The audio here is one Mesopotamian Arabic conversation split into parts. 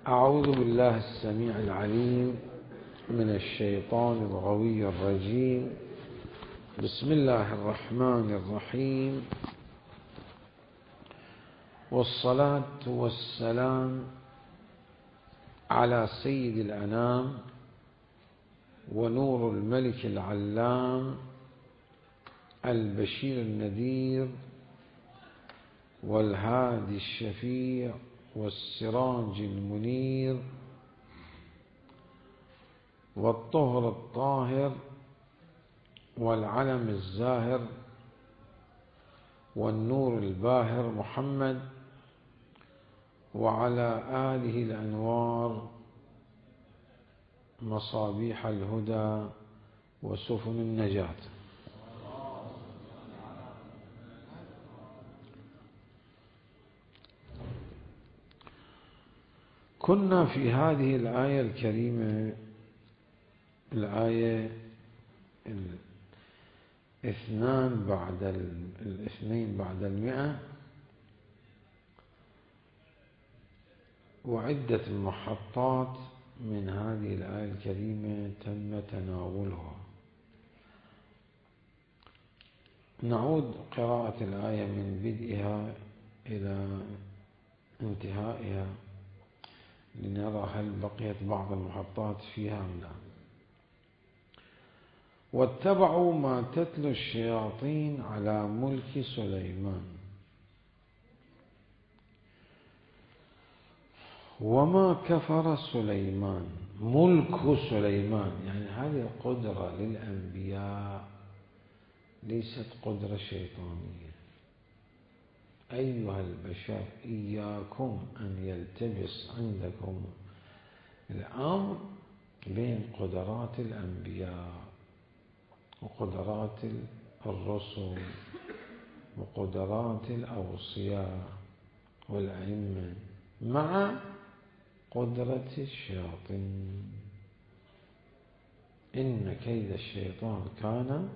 أعوذ بالله السميع العليم من الشيطان الغوي الرجيم. بسم الله الرحمن الرحيم، والصلاة والسلام على سيد الأنام ونور الملك العلام البشير النذير والهادي الشفيع والسراج المنير والطهر الطاهر والعلم الزاهر والنور الباهر محمد وعلى آله الأنوار مصابيح الهدى وسفن النجاة. كنا في هذه الآية الكريمة، الآية الاثنين بعد 100، وعدة محطات من هذه الآية الكريمة تم تناولها. نعود قراءة الآية من بدئها إلى انتهائها لنرى هل بقيت بعض المحطات فيها أم لا. واتبعوا ما تتلو الشياطين على ملك سليمان وما كفر سليمان. ملك سليمان يعني هذه القدرة للأنبياء، ليست قدرة شيطانية. أيها البشر إياكم أن يلتبس عندكم الأمر بين قدرات الأنبياء وقدرات الرسل وقدرات الأوصياء والأئمة مع قدرة الشياطين. إن كيد الشيطان كان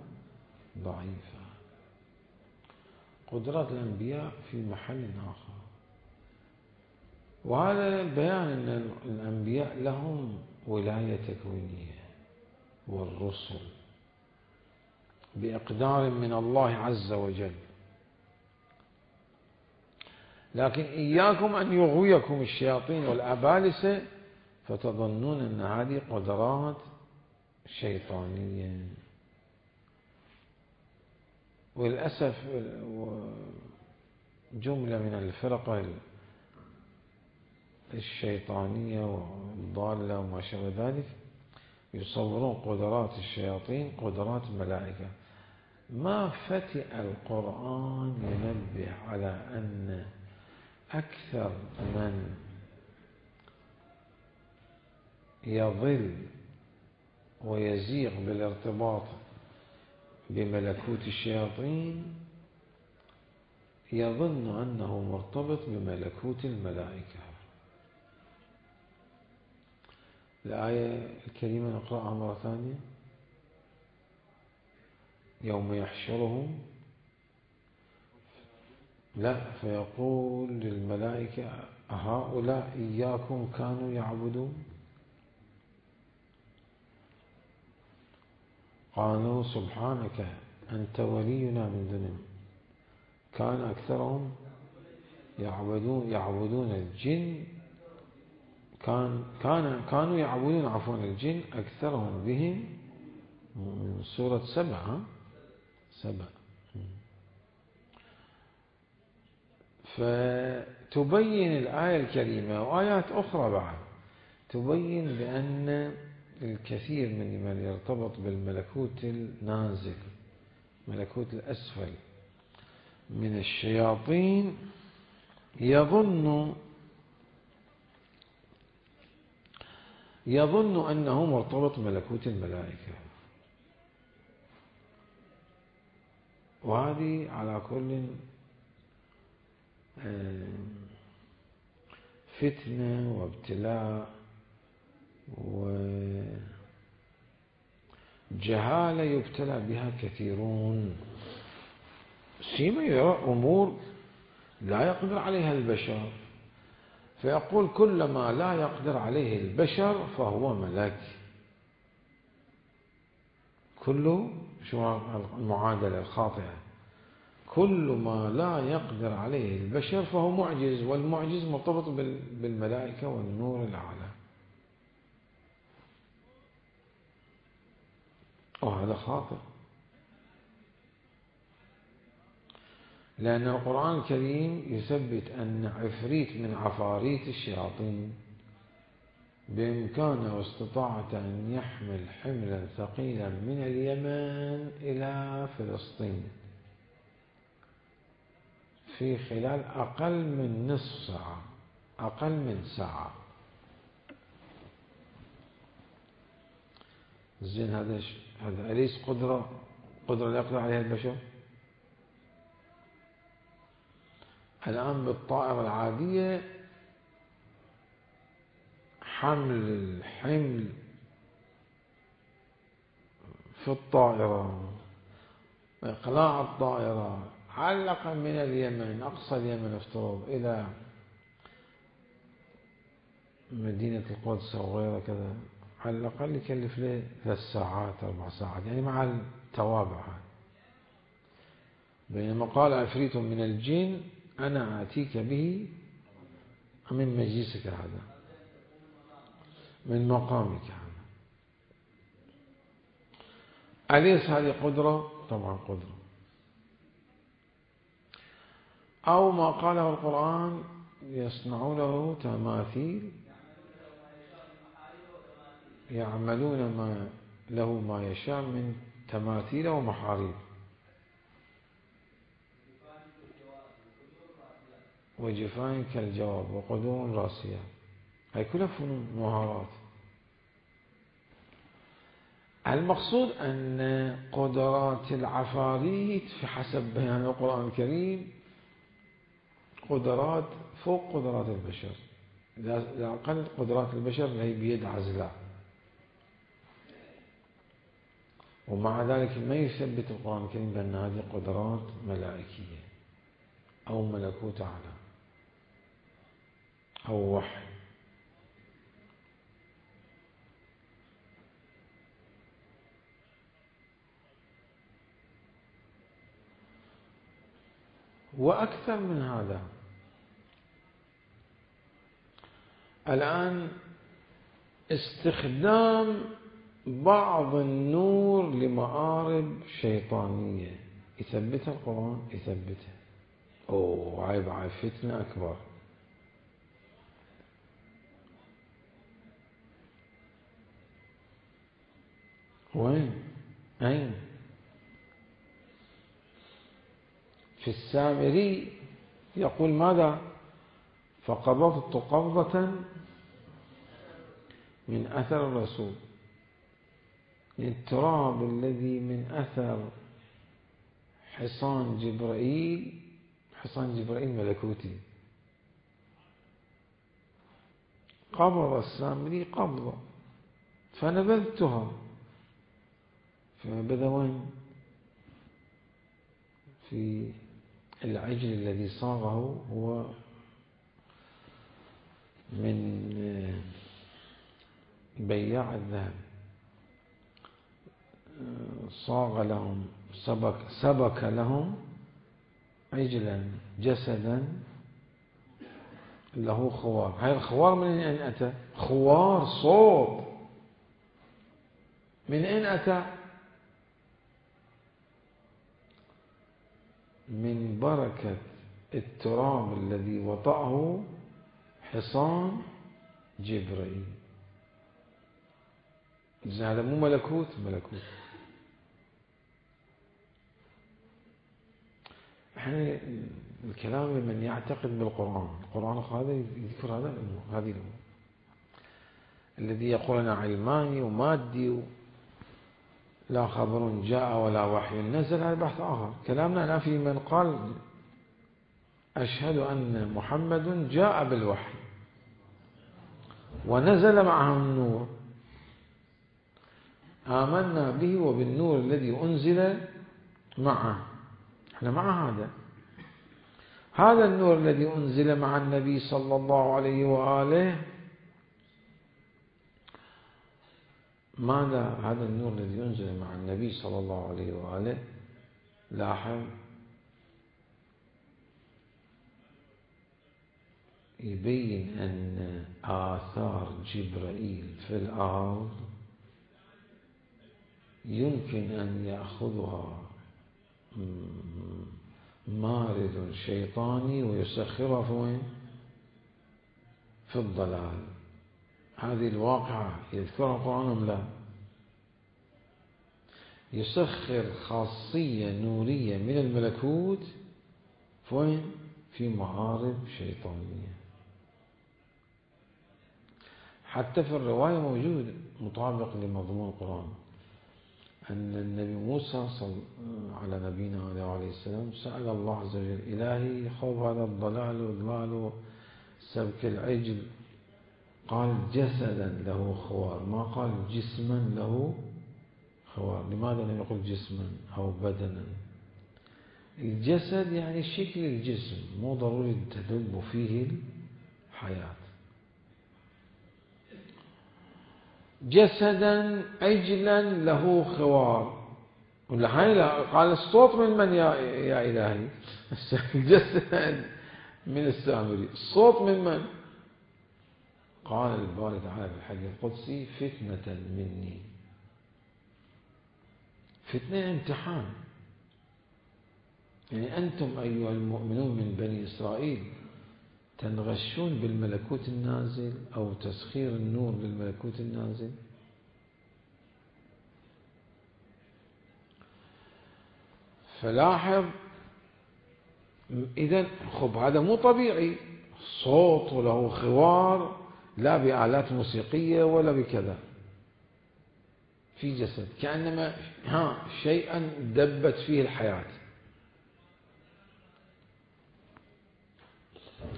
ضعيفا. قدرات الأنبياء في محل آخر، وهذا بيان أن الأنبياء لهم ولاية تكوينية والرسل بإقدار من الله عز وجل، لكن إياكم أن يغويكم الشياطين والأبالسة فتظنون أن هذه قدرات شيطانية. وللأسف جملة من الفرق الشيطانية والضالة وما شابه ذلك يصورون قدرات الشياطين قدرات الملائكة. ما فتئ القرآن ينبه على أن أكثر من يضل ويزيغ بالارتباط بملكوت الشياطين يظن أنه مرتبط بملكوت الملائكة. الآية الكريمة نقرأها مرة ثانية. يوم يحشرهم فيقول للملائكة أهؤلاء إياكم كانوا يعبدون؟ قالوا سبحانك أنت ولينا من دونهم كان أكثرهم يعبدون الجن كانوا يعبدون الجن أكثرهم بهم. من سورة 7. فتبين الآية الكريمة وآيات أخرى بعد تبين بأن الكثير من يرتبط بالملكوت النازل، ملكوت الأسفل من الشياطين، يظن أنه مرتبط بملكوت الملائكة. وهذه على كل فتنة وابتلاء وجهالة يبتلى بها كثيرون، سيما يرى أمور لا يقدر عليها البشر، فيقول كل ما لا يقدر عليه البشر فهو ملك. كله شو المعادلة الخاطئة؟ كل ما لا يقدر عليه البشر فهو معجز، والمعجز مرتبط بالملائكة والنور الأعلى. وهذا خاطئ، لأن القرآن الكريم يثبت أن عفريت من عفاريت الشياطين بإمكانه واستطاعته أن يحمل حملا ثقيلا من اليمن إلى فلسطين في خلال أقل من نصف ساعة، أقل من ساعة. زين هذا أليس قدرة لا يقدر عليها البشر؟ الآن بالطائرة العادية حمل الحمل في الطائرة وإقلاع الطائرة علقا من اليمن، أقصى اليمن افترض، إلى مدينة القدس أو غيرها كذا، على الأقل يكلف له 3 ساعات 4 ساعات، يعني مع التوابع. بينما قال عفريت من الجن أنا آتيك به من مجلسك هذا، من مقامك هذا. أليس هذه قدرة؟ طبعا قدرة. أو ما قاله القرآن يصنعون له تماثيل، يعملون له ما يشاء من تماثيل ومحاريب وجفان كالجواب وقدور راسية. هاي كلها فنون مهارات. المقصود أن قدرات العفاريت في حسب بيان القرآن الكريم قدرات فوق قدرات البشر، إذا أقل قدرات البشر هي بيد عزلاء. ومع ذلك ما يثبت القرآن الكريم بأن هذه قدرات ملائكية أو ملكوت أعلى أو وحي. وأكثر من هذا، الآن استخدام بعض النور لمآرب شيطانية يثبتها القرآن، يثبتها. عيب فتنة أكبر. وين؟ أين؟ في السامري يقول ماذا؟ فقبضت قبضة من أثر الرسول، التراب الذي من أثر حصان جبرائيل. حصان جبرائيل ملكوتي. قبض السامري قبضة فنبذتها، فنبذ وين؟ في العجل الذي صاغه هو من بياع الذهب، صاغ لهم سبك لهم عجلا جسدا له خوار. هاي الخوار من أين أتى؟ خوار صوت من أين أتى؟ من بركة التراب الذي وطأه حصان جبرائيل. هذا مو ملكوت؟ ملكوت. احنا الكلام من يعتقد بالقرآن، القرآن هذا يذكر هذا الأمور، هذه الأمور الذي يقولنا علماني ومادي لا خبر جاء ولا وحي نزل، هذا بحث آخر. كلامنا الآن في من قال أشهد أن محمد جاء بالوحي ونزل معه النور، آمنا به وبالنور الذي أنزل معه. احنا مع هذا. هذا النور الذي أنزل مع النبي صلى الله عليه وآله، ماذا هذا النور الذي أنزل مع النبي صلى الله عليه وآله؟ لاحظ، يبين أن آثار جبرائيل في الأرض يمكن أن يأخذها مارد شيطاني ويسخرها في وين؟ في الضلال. هذه الواقعة يذكرها القرآن أم لا؟ يسخر خاصية نورية من الملكوت في وين؟ في معارض شيطانية. حتى في الرواية موجود مطابق لمضمون القرآن أن النبي موسى على نبينا عليه السلام سأل الله عز وجل: إلهي خوف هذا الضلال وإضلال سبك العجل، قال جسدا له خوار، ما قال جسما له خوار. لماذا لم يقل جسما أو بدنا؟ الجسد يعني شكل الجسم، مو ضروري تدب فيه الحياة. جسدا عجلا له خوار، ولا هاي قال الصوت من يا إلهي؟ الجسد من السامري، الصوت من؟ قال الباري تعالى في الحديث القدسي: فتنة مني. فتنة امتحان، يعني أنتم أيها المؤمنون من بني إسرائيل تنغشون بالملكوت النازل أو تسخير النور بالملكوت النازل. فلاحظ إذن خب هذا مو طبيعي، صوت وله خوار، لا بآلات موسيقية ولا بكذا، في جسد كأنما شيئا دبت فيه الحياة.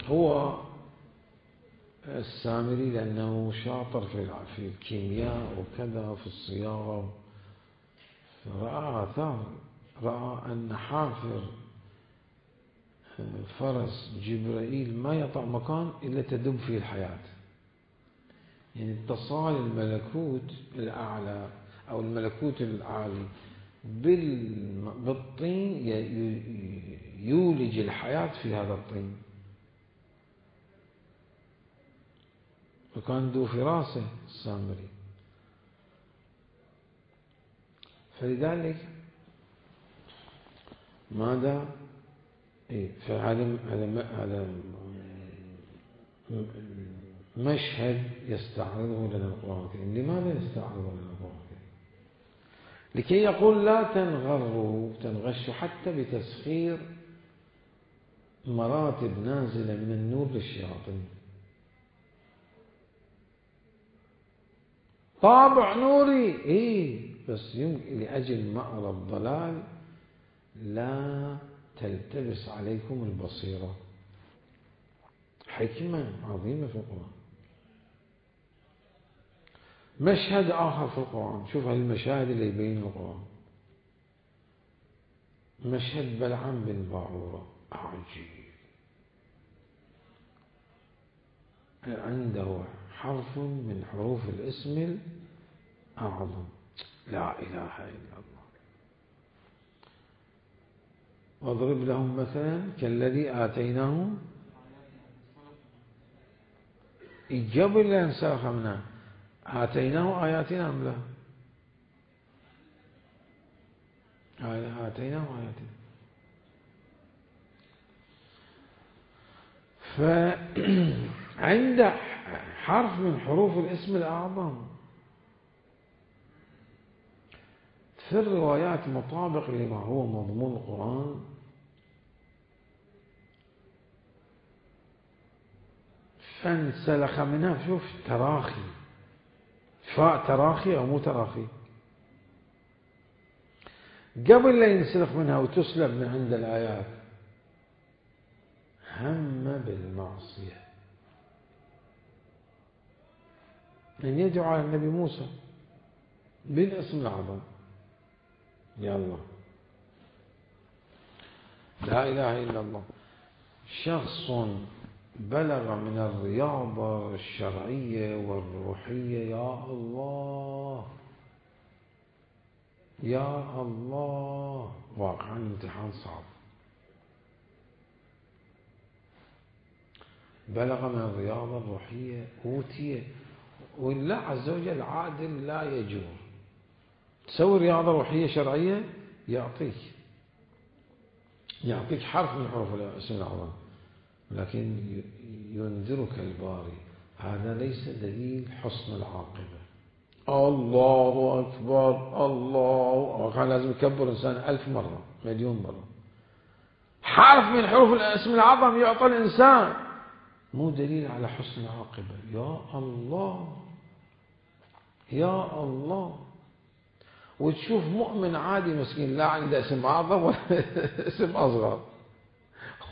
هو السامري لأنه شاطر في الكيمياء وكذا في الصياغة، فرأى آثار، رأى أن حافر فرس جبرائيل ما يطع مكان إلا تدب فيه الحياة. يعني اتصال الملكوت الأعلى أو الملكوت العالي بالطين يولج الحياة في هذا الطين. وكان ذو فراسة السامري. فلذلك ماذا؟ فهذا مشهد يستعرضه لنا القرآن الكريم. لماذا يستعرضه لنا القرآن الكريم؟ لكي يقول لا تنغشوا حتى بتسخير مراتب نازلة من النور للشياطين. طابع نوري بس لأجل مأرى الضلال لا تلتبس عليكم البصيرة. حكمة عظيمة في القرآن. مشهد آخر في القرآن، شوف هالمشاهد اللي يبين القرآن. مشهد بلعام بن باعورة عجيب، عنده حرف من حروف الاسم الأعظم، لا إله إلا الله. واضرب لهم مثلا كالذي آتيناهم، قبل لا ينسلخ منها آتيناه آياتنا أم لا؟ آتيناه آياتنا. فعند حرف من حروف الاسم الأعظم في الروايات مطابق لما هو مضمون القرآن، فانسلخ منها. شوف تراخي، فاء تراخي أو مو تراخي، قبل لا ينسلخ منها وتسلب من عند الآيات هم بالمعصية، أن يدعو على النبي موسى بالاسم الأعظم. يا الله، لا إله إلا الله. شخص بلغ من الرياضة الشرعية والروحية، يا الله يا الله، واقعا امتحان صعب. بلغ من الرياضة الروحية، أوتي، والله عز وجل عادل لا يجور. تسوي رياضة روحية شرعية يعطيك حرف من حروف الاسم الأعظم، لكن ينذرك الباري هذا ليس دليل حسن العاقبة. الله أكبر، الله كان لازم يكبر إنسان 1000 مرة، مليون مرة. حرف من حروف الاسم الأعظم يعطى الإنسان مو دليل على حسن العاقبة. يا الله يا الله. وتشوف مؤمن عادي مسكين لا عنده اسم أعظم ولا اسم أصغر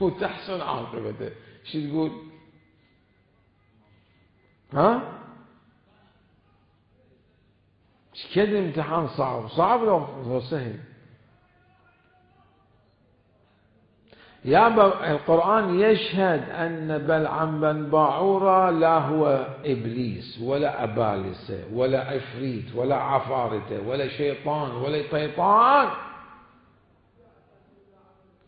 وتحسن عاقبته، شو تقول؟ ها؟ كده امتحان صعب لو سهل. يا القرآن يشهد أن بلعم بن باعورة لا هو إبليس ولا أبالسة ولا عفريت ولا عفارته ولا شيطان ولا طيطان،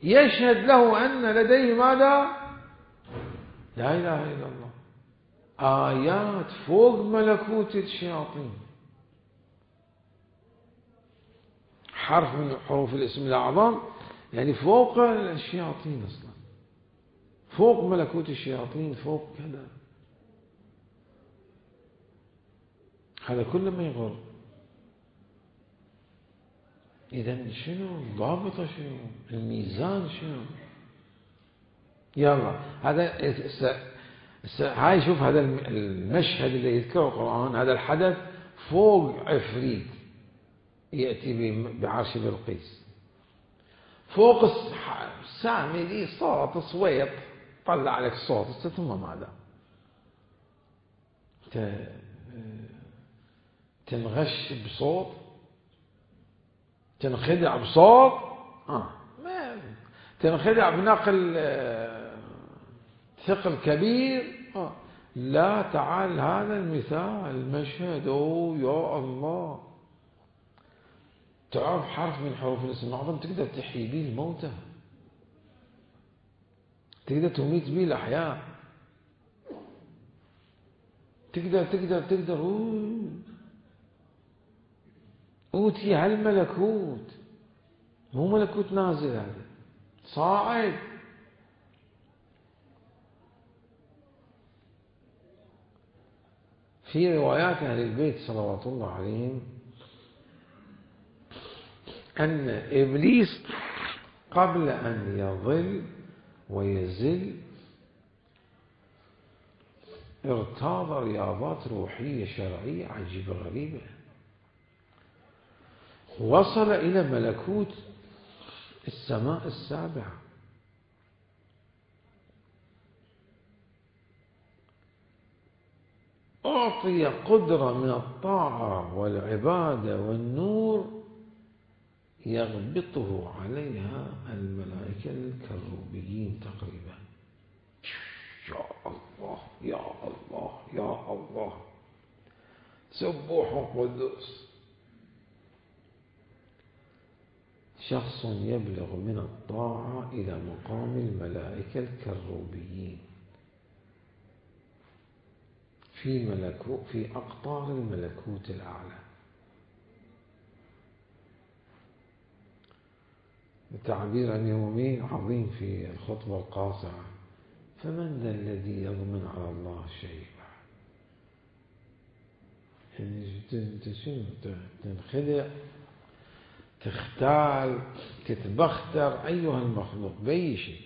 يشهد له أن لديه ماذا؟ لا إله إلا الله، آيات فوق ملكوت الشياطين. حرف من حروف الاسم الأعظم يعني فوق الشياطين أصلا، فوق ملكوت الشياطين، فوق كذا. هذا كله ما يغر. إذا شنو الضابطة؟ شنو الميزان؟ شنو؟ يلا هذا هاي شوف هذا المشهد اللي يذكره القرآن، هذا الحدث فوق عفريت يأتي بعرش بلقيس، فوق سامي لي صوت صويت طلع لك صوت، ثم ماذا؟ تنغش بصوت، تنخدع بصوت، ما تنخدع بنقل ثقل كبير. لا، تعال هذا المثال المشهد. يا الله، تعرف حرف من حروف الاسم الأعظم تقدر تحيي به الموتى، تقدر تميت به الأحياء، تقدر أوتي هالملكوت، مو ملكوت نازل، هذا صاعد. في روايات أهل البيت صلوات الله عليهم أن إبليس قبل أن يضل ويزل ارتاض رياضات روحية شرعية عجيبة غريبة، وصل إلى ملكوت السماء السابعة. أعطي قدرة من الطاعة والعبادة والنور يغبطه عليها الملائكة الكروبيين تقريبا. يا الله يا الله يا الله، سبوح قدوس. شخص يبلغ من الطاعة إلى مقام الملائكة الكروبيين في أقطار الملكوت الأعلى. تعبير يومي عظيم في الخطبة القاصرة: فمن ذا الذي يضمن على الله شيء؟ يعني تنخدع، تختال، تتبختر أيها المخلوق بأي شيء.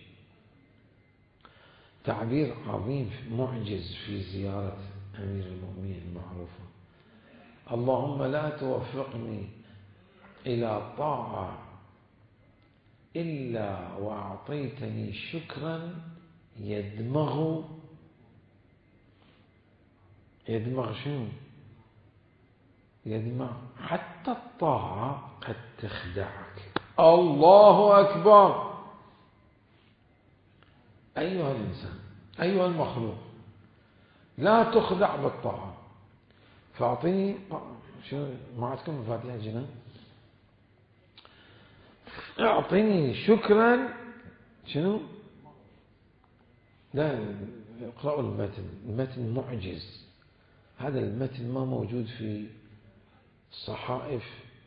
تعبير عظيم معجز في زيارة أمير المؤمنين المعروفة: اللهم لا توفقني إلى طاعة إلا وأعطيتني شكرا يدمغ شنو؟ يدمغ حتى الطاعة قد تخدعك. الله أكبر. أيها الإنسان أيها المخلوق لا تخدع بالطاعة، فأعطيني شنو ما عندكم مفاتيح الجنان؟ أعطني شكرا شنو؟ لا اقرأوا المتن معجز، هذا المتن ما موجود في صحائف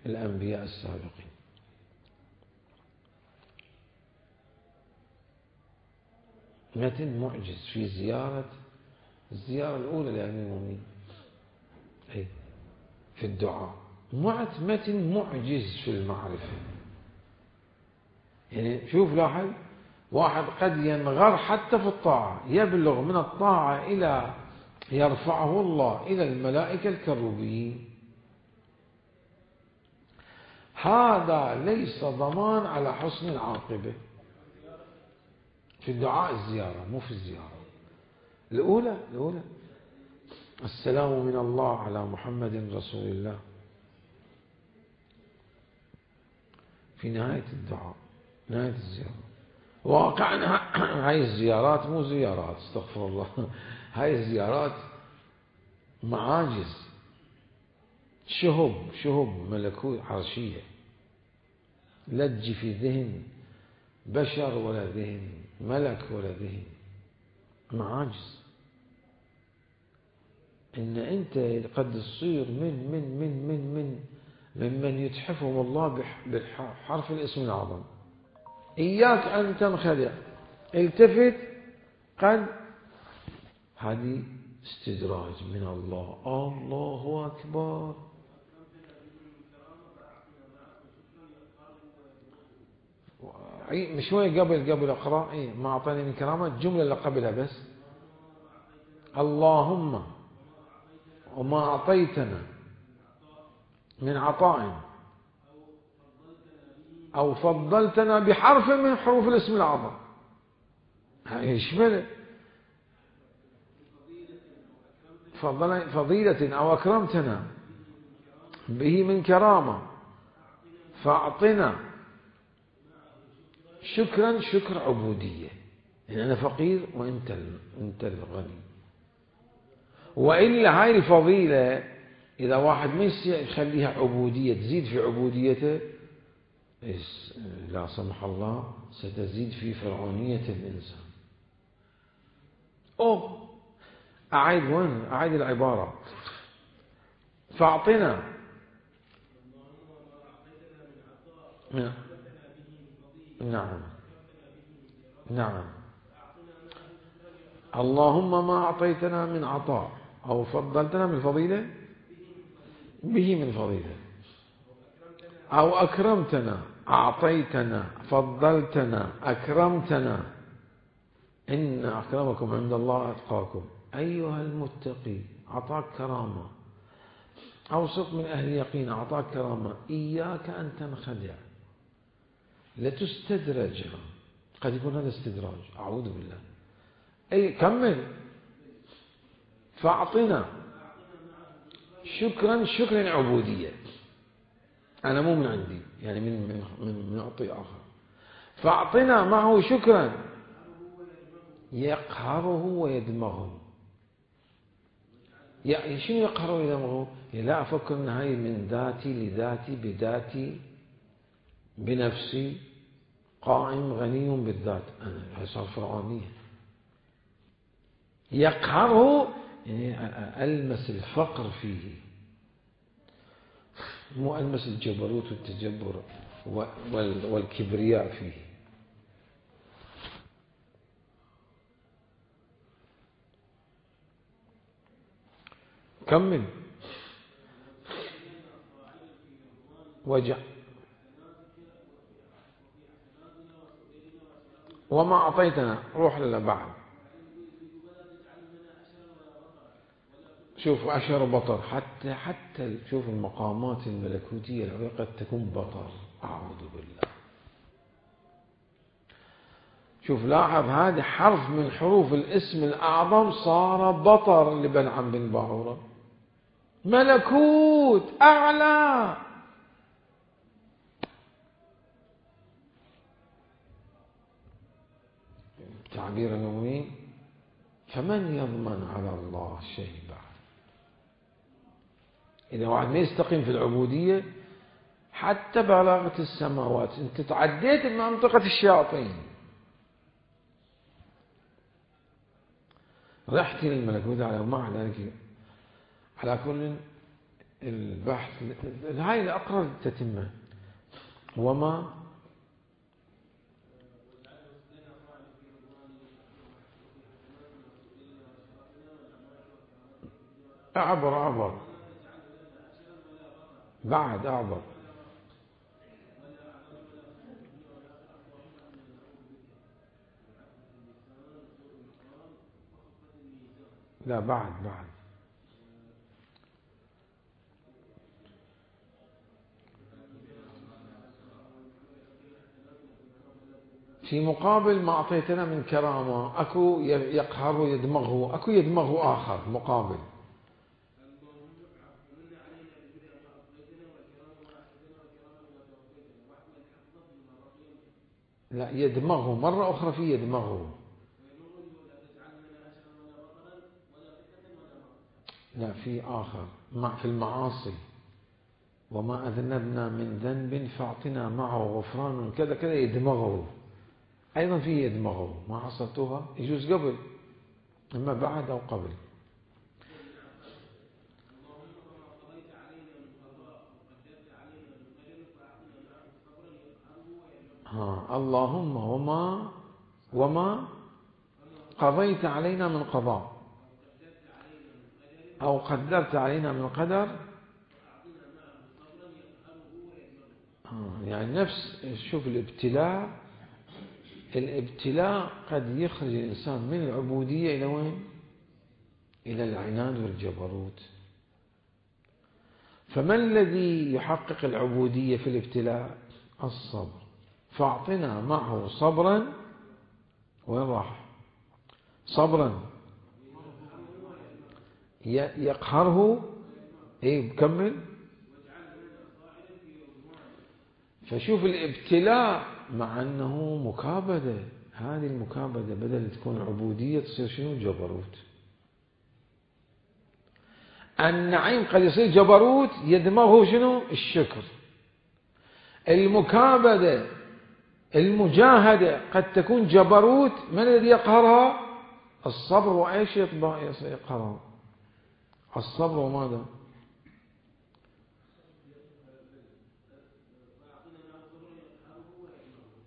الأنبياء السابقين. متن معجز في الزيارة الأولى لأمير المؤمنين في الدعاء، متن معجز في المعرفة. يعني شوف لاحظ، واحد قد ينغر حتى في الطاعة، يبلغ من الطاعة إلى يرفعه الله إلى الملائكة الكروبيين. هذا ليس ضمان على حسن العاقبة في الدعاء الزيارة، مو في الزيارة الأولى. السلام من الله على محمد رسول الله في نهاية الدعاء، نهاية الزيارة. واقعنا هاي الزيارات مو زيارات، استغفر الله، هاي الزيارات معاجز، شهب ملكوت عرشية، لا تجي في ذهن بشر ولا ذهن ملك ولا ذهن، معاجز. إن أنت قد تصير ممن يتحفهم الله بحرف الاسم الأعظم. إياك أن تنخدع، التفت، قد هذه استدراج من الله. الله أكبر. شوية قبل أقرأ ما أعطاني من كرامة، الجملة اللي قبلها بس، اللهم وما أعطيتنا من عطاء أو فضلتنا بحرف من حروف الاسم الأعظم. يشمل فضيلة أو أكرمتنا به من كرامة، فأعطنا شكرا، شكر عبودية، يعني أنا فقير وأنت الغني. وإلا هاي الفضيلة إذا واحد ما يخليها عبودية، تزيد في عبوديته، لا سمح الله ستزيد في فرعونية الإنسان. أعيد العبارة. فأعطنا نعم اللهم ما أعطيتنا من عطاء أو فضلتنا من فضيلة به من فضيلة، أو أكرمتنا، أعطيتنا، فضلتنا، أكرمتنا، إن أكرمكم عند الله أتقاكم. أيها المتقي أعطاك كرامة، أوسط من أهل يقين أعطاك كرامة، إياك أن تنخدع، لتستدرج. قد يكون هذا استدراج، أعوذ بالله. كمل. فأعطنا شكرا، شكرا عبودية، أنا مو من عندي، يعني من أعطي آخر. فأعطنا معه شكرا يقهره ويدمغه. يعني شنو يقهره ويدمغه؟ لا أفكر أن هاي من ذاتي لذاتي، بذاتي، بنفسي، قائم غني بالذات، أنا هاي صار فرعونية. يقهره يعني ألمس الفقر فيه، مو ألمس الجبروت والتجبر والكبرياء فيه. كمل. وما أعطيتنا، روح للبعض. شوف أشهر بطر، حتى شوف المقامات الملكوتية العليا قد تكون بطر، أعوذ بالله. شوف لاحظ، هذا حرف من حروف الاسم الأعظم صار بطر لبلعم بن باعورة، ملكوت أعلى. تعبير المؤمنين فمن يضمن على الله شيء بعد. إذا واحد ما يستقيم في العبودية حتى بلاغة السماوات أنت تعديت منطقة الشياطين، رحت للملكوت على ومع ذلك. على كل البحث هاي الأقرأ التتمة وما أعبر بعد أعبر لا بعد في مقابل ما أعطيتنا من كرامة أكو يقهر يدمغه، أكو يدمغه آخر مقابل. لا يدمغه مرة أخرى في يدمغه. لا في آخر في المعاصي وما أذنبنا من ذنب فاعطنا معه غفران كذا كذا يدمغه. أيضا في يدمغه ما حصلتوها يجوز قبل إما بعد أو قبل. اللهم وما قضيت علينا من قضاء أو قدرت علينا من قدر. يعني نفس شوف الابتلاء قد يخرج الإنسان من العبودية إلى وين؟ إلى العناد والجبروت. فما الذي يحقق العبودية في الابتلاء؟ الصبر. فاعطنا معه صبرا. وين راح؟ صبرا يقهره. بكمل. فشوف الابتلاء مع أنه مكابدة، هذه المكابدة بدل تكون عبودية تصير شنو؟ جبروت. النعيم قد يصير جبروت يدمغه شنو؟ الشكر. المكابدة المجاهدة قد تكون جبروت، من الذي يقهرها؟ الصبر. وإيش يقهرها؟ الصبر. وماذا؟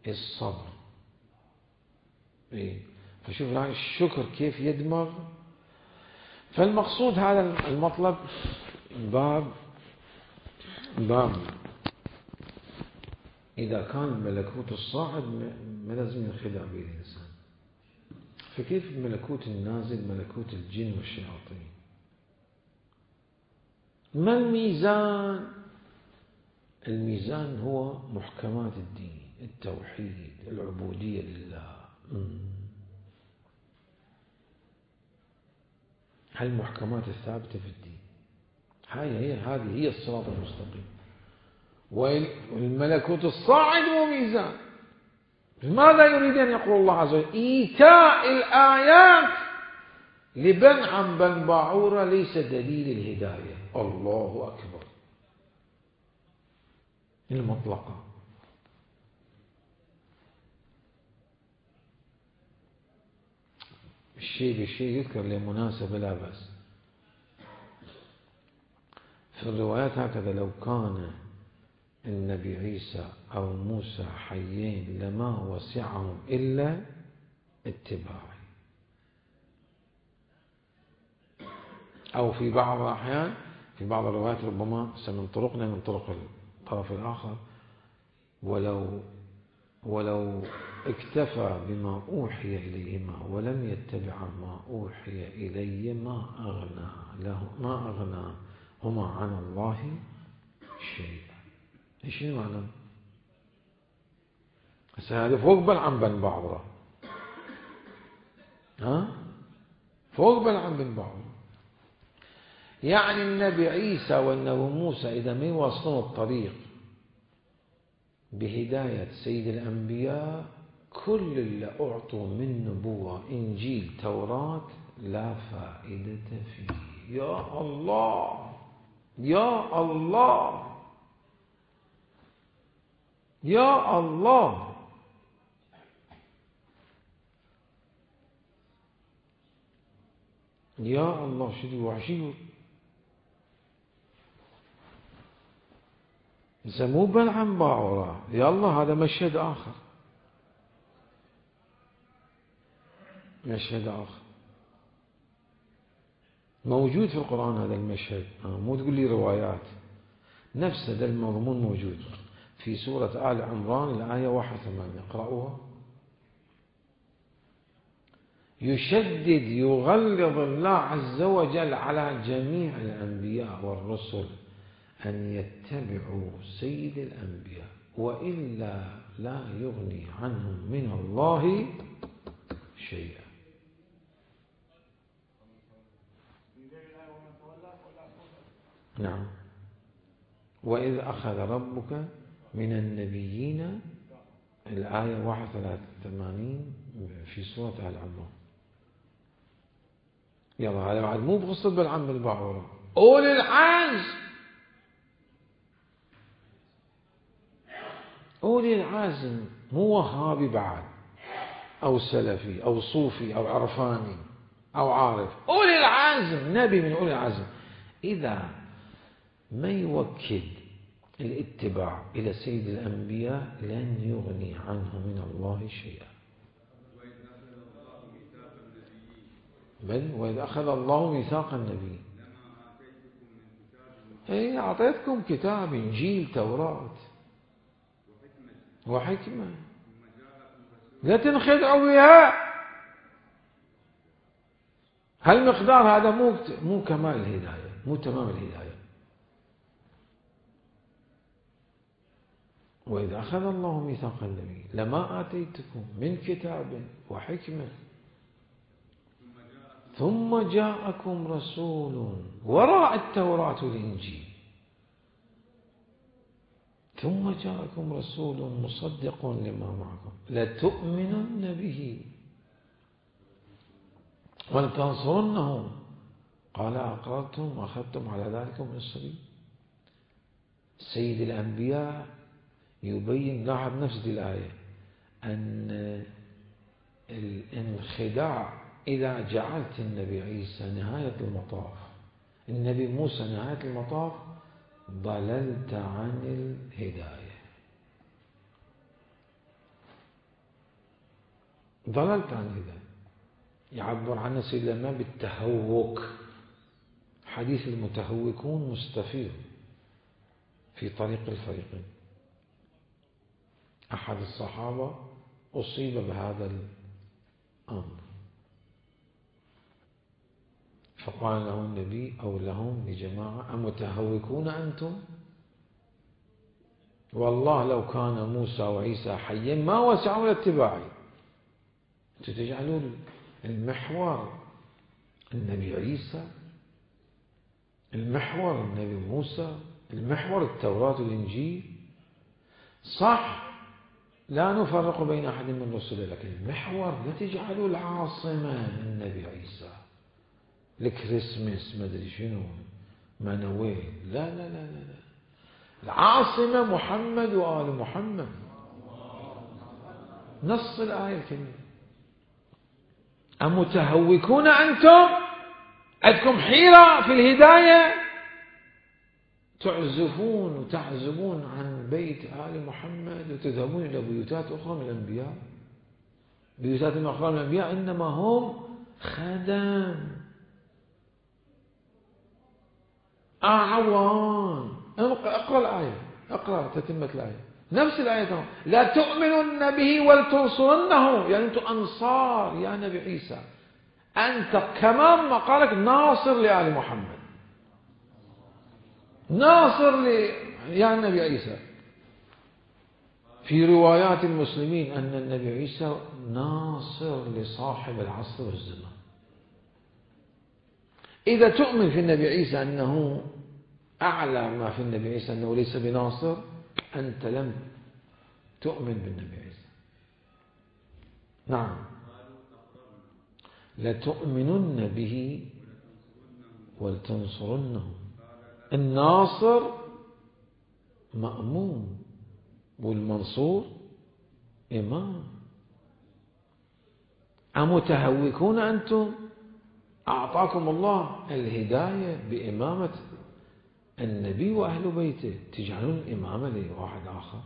الصبر. فشوف الشكر كيف يدمغ. فالمقصود هذا المطلب باب إذا كان الملكوت الصاعد ما لازم ينخدع به الإنسان، فكيف الملكوت النازل ملكوت الجن والشياطين؟ ما الميزان؟ الميزان هو محكمات الدين، التوحيد، العبودية لله. هالمحكمات الثابتة في الدين هذه هي الصراط المستقيم. والملكوت الصاعد هو ميزان. ماذا يريد أن يقول الله عز وجل؟ إيتاء الآيات لبن عن بن باعورة ليس دليل الهداية. الله أكبر. المطلقة. الشيء بالشيء يذكر لمناسبة لا بأس. في الروايات هكذا: لو كان النبي عيسى أو موسى حيين لما وسعهم إلا اتباعي. أو في بعض الأحيان في بعض الروايات ربما سننطلقنا من طرق الطرف الآخر: ولو اكتفى بما أوحي إليهما ولم يتبع ما أوحي إليه ما أغناهما عن الله شيئا. ايش المعنى؟ هذا فوق بلعم بن باعورة. فوق بلعم بن باعورة. يعني النبي عيسى والنبي موسى إذا ما يواصلون الطريق بهداية سيد الأنبياء كل اللي أعطوا من نبوة إنجيل توراة لا فائدة فيه. يا الله يا الله يا الله. يا الله شدي وحشي. مو بلعن باعورا. يا الله هذا مشهد آخر. مشهد آخر موجود في القرآن هذا المشهد. مو تقول لي روايات. نفس هذا المضمون موجود في سورة آل عمران الآية 81. اقرأوها. يشدد يغلظ الله عز وجل على جميع الأنبياء والرسل أن يتبعوا سيد الأنبياء وإلا لا يغني عنهم من الله شيئا. نعم. وإذ أخذ ربك من النبيين الآية 81 في سورة آل عمران. يلا هذا بعد مو بقصة بالعم بالبعورة. أولي العزم. أولي العزم مو وهابي بعد أو سلفي أو صوفي أو عرفاني أو عارف. أولي العزم نبي من أولي العزم إذا ما يوكد الاتباع إلى سيد الأنبياء لن يغني عنه من الله شيئا. بل وإذ أخذ الله ميثاق النبي أعطيتكم كتاب إنجيل توراة وحكمة لا تنخدعوا بها. هالمقدار هذا مو كمال الهداية، مو تمام الهداية. وإذا أخذ الله ميثاق النبي لما آتيتكم من كتاب وحكمة ثم جاءكم رسول وراء التوراة والإنجيل ثم جاءكم رسول مصدق لما معكم لتؤمنن به ولتنصرنه قال أقررتم وأخذتم على ذلكم إصري. سيد الأنبياء يبين لاحظ نفس الآية أن الانخداع إذا جعلت النبي عيسى نهاية المطاف النبي موسى نهاية المطاف ضللت عن الهداية. ضللت عن الهداية. يعبر عنه سيدنا الإمام بالتهوك. حديث المتهوكون مستفيض في طريق الفريقين. أحد الصحابة أصيب بهذا الأمر فقال له النبي أو لهم لجماعة أمتهوكون أنتم؟ والله لو كان موسى وعيسى حيا ما وسعوا لاتباعي. تجعلون المحور النبي عيسى، المحور النبي موسى، المحور التوراة والإنجيل. صح لا نفرق بين أحد من الرسل لكن المحور لا تجعلوا العاصمة النبي عيسى الكريسماس ما ادري شنو منويل. لا لا لا لا العاصمة محمد وآل محمد. نص الآية الكريمة. أمتهوكون أنتم؟ عندكم حيرة في الهداية تعزفون وتعزبون عن بيت آل محمد وتذهبون إلى بيوتات أخرى من الأنبياء. بيوتات أخرى من الأنبياء إنما هم خدم أعوان. اقرأ الآية، اقرأ تتمة الآية نفس الآية. لا تؤمنن به ولتنصرنه يعني أنتم أنصار يا نبي عيسى. أنت كمان مقالك ناصر لآل محمد ناصر يا النبي عيسى. في روايات المسلمين أن النبي عيسى ناصر لصاحب العصر والزمان. إذا تؤمن في النبي عيسى أنه أعلى ما في النبي عيسى أنه ليس بناصر أنت لم تؤمن بالنبي عيسى. نعم. لتؤمنن به ولتنصرنه. الناصر مأموم والمنصور إمام. أمتهوكون أنتم؟ أعطاكم الله الهداية بإمامة النبي وأهل بيته، تجعلون الإمامة لواحد آخر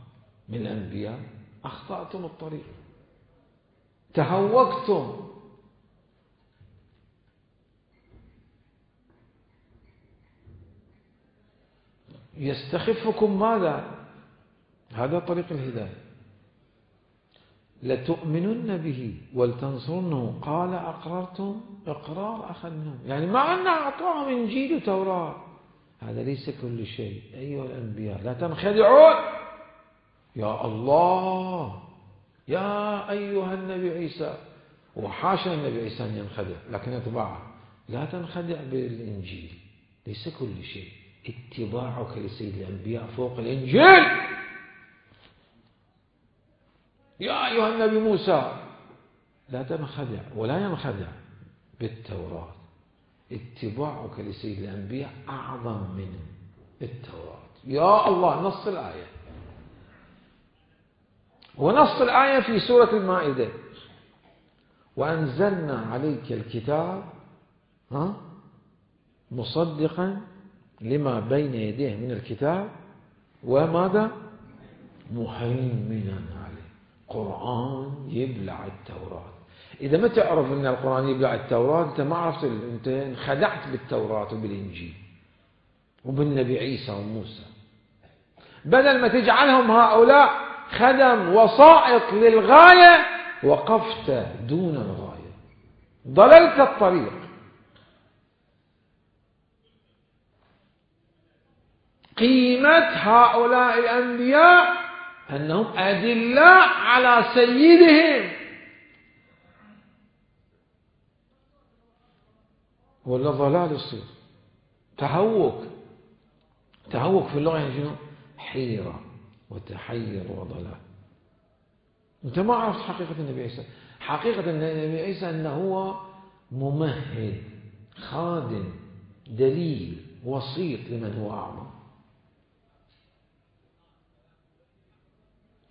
من الأنبياء. أخطأتم الطريق، تهوكتم. يستخفكم ماذا؟ هذا طريق الهداية. لتؤمنن به ولتنصرنه قال أقررتم. إقرار أخذناه، يعني مع أن أعطاهم إنجيل وتوراة، هذا ليس كل شيء. أيها الأنبياء لا تنخدعون. يا الله، يا أيها النبي عيسى، وحاشا النبي عيسى أن ينخدع، لكن اتباعه لا تنخدع بالإنجيل، ليس كل شيء. اتباعك لسيد الأنبياء فوق الإنجيل. يا أيها النبي موسى لا تنخدع ولا ينخدع بالتوراة. اتباعك لسيد الأنبياء أعظم من التوراة. يا الله، نص الآية، ونص الآية في سورة المائدة: وأنزلنا عليك الكتاب مصدقا لما بين يديه من الكتاب وماذا؟ مهيمنا عليه. قرآن يبلع التوراة. إذا ما تعرف أن القرآن يبلع التوراة، أنت ما عرفت، أنت انخدعت بالتوراة وبالإنجيل وبالنبي عيسى وموسى. بدل ما تجعلهم هؤلاء خدم وسائط للغاية، وقفت دون الغاية، ضللت الطريق. قيمة هؤلاء الأنبياء أنهم أدلاء على سيدهم، ولا ضلال يصير. تهوك في اللغة يعني شنو؟ حيرة وتحير وضلال. أنت ما عرفت حقيقة النبي عيسى. حقيقة النبي عيسى أنه هو ممهد، خادم، دليل، وسيط لمن هو أعظم.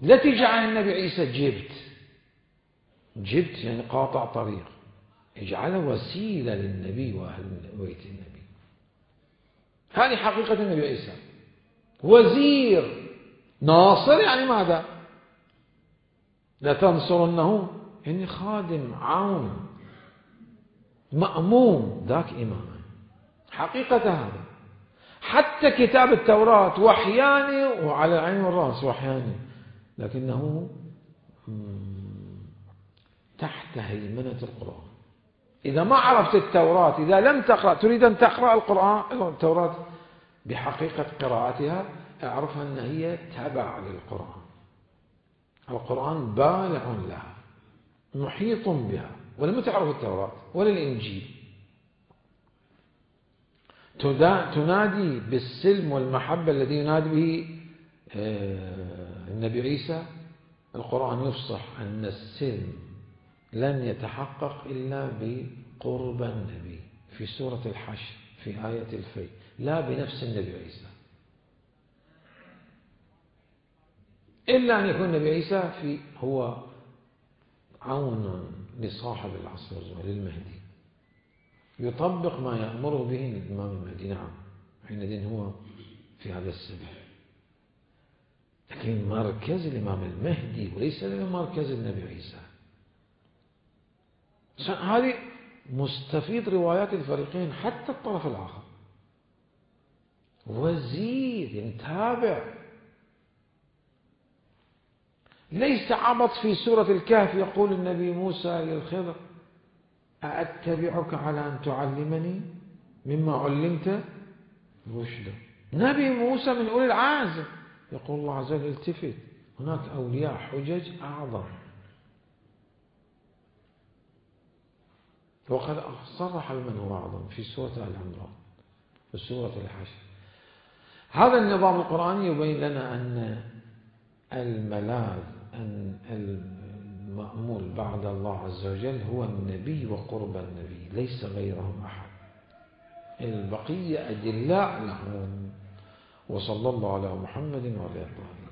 لا تجعل النبي عيسى جبت يعني قاطع طريق، اجعله وسيلة للنبي وأهل بيت النبي. هذه حقيقة النبي عيسى. وزير، ناصر يعني ماذا؟ لا تنصرنه يعني خادم، عون، مأموم، ذاك إمام. حقيقة هذا. حتى كتاب التوراة وحياني، وعلى العين والرأس وحياني، لكنه تحت هيمنة القرآن. إذا ما عرفت التوراة، إذا لم تقرأ، تريد أن تقرأ القرآن، التوراة بحقيقة قراءتها، اعرفها أن هي تبع للقرآن. القرآن بالع لها، محيط بها. ولم تعرف التوراة ولا الإنجيل. تنادي بالسلم والمحبة الذي ينادي به النبي عيسى. القرآن يفصح أن السلم لن يتحقق إلا بقرب النبي في سورة الحشر في آية الفيل، لا بنفس النبي عيسى، إلا أن يكون النبي عيسى هو عون لصاحب العصر للمهدي، يطبق ما يأمره به الإمام المهدي. نعم، حينئذ هو في هذا السبيل. لكن مركز الإمام المهدي وليس مركز النبي عيسى. هذه مستفيد روايات الفريقين، حتى الطرف الآخر. وزير يتابع، ليس عبط. في سورة الكهف يقول النبي موسى للخضر: أأتبعك على أن تعلمني مما علمت رشدا. نبي موسى من أولي العزم. يقول الله عز وجل: التفت، هناك أولياء حجج أعظم. وقد صرح بمن هو أعظم في سورة آل عمران وسورة الحشر. هذا النظام القرآني يبين لنا أن الملاذ، أن المأمول بعد الله عز وجل هو النبي وقرب النبي، ليس غيرهم أحد، البقية أدلاء لهم. وصلى الله على محمد وعلى آله.